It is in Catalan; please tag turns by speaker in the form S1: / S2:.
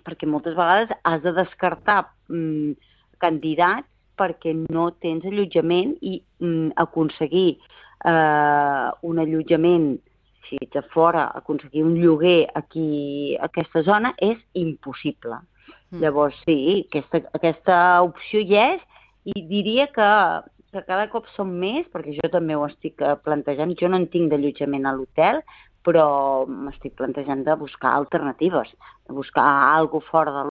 S1: perquè moltes vegades has de descartar candidats perquè no tens allotjament i aconseguir un allotjament, si ets a fora, aconseguir un lloguer aquí a aquesta zona és impossible. Llavors, sí, aquesta opció hi és i diria que cada cop són més, perquè jo també ho estic plantejant. Jo no en tinc d'allotjament a l'hotel, però m'estic plantejant de buscar alternatives, de buscar alguna cosa fora de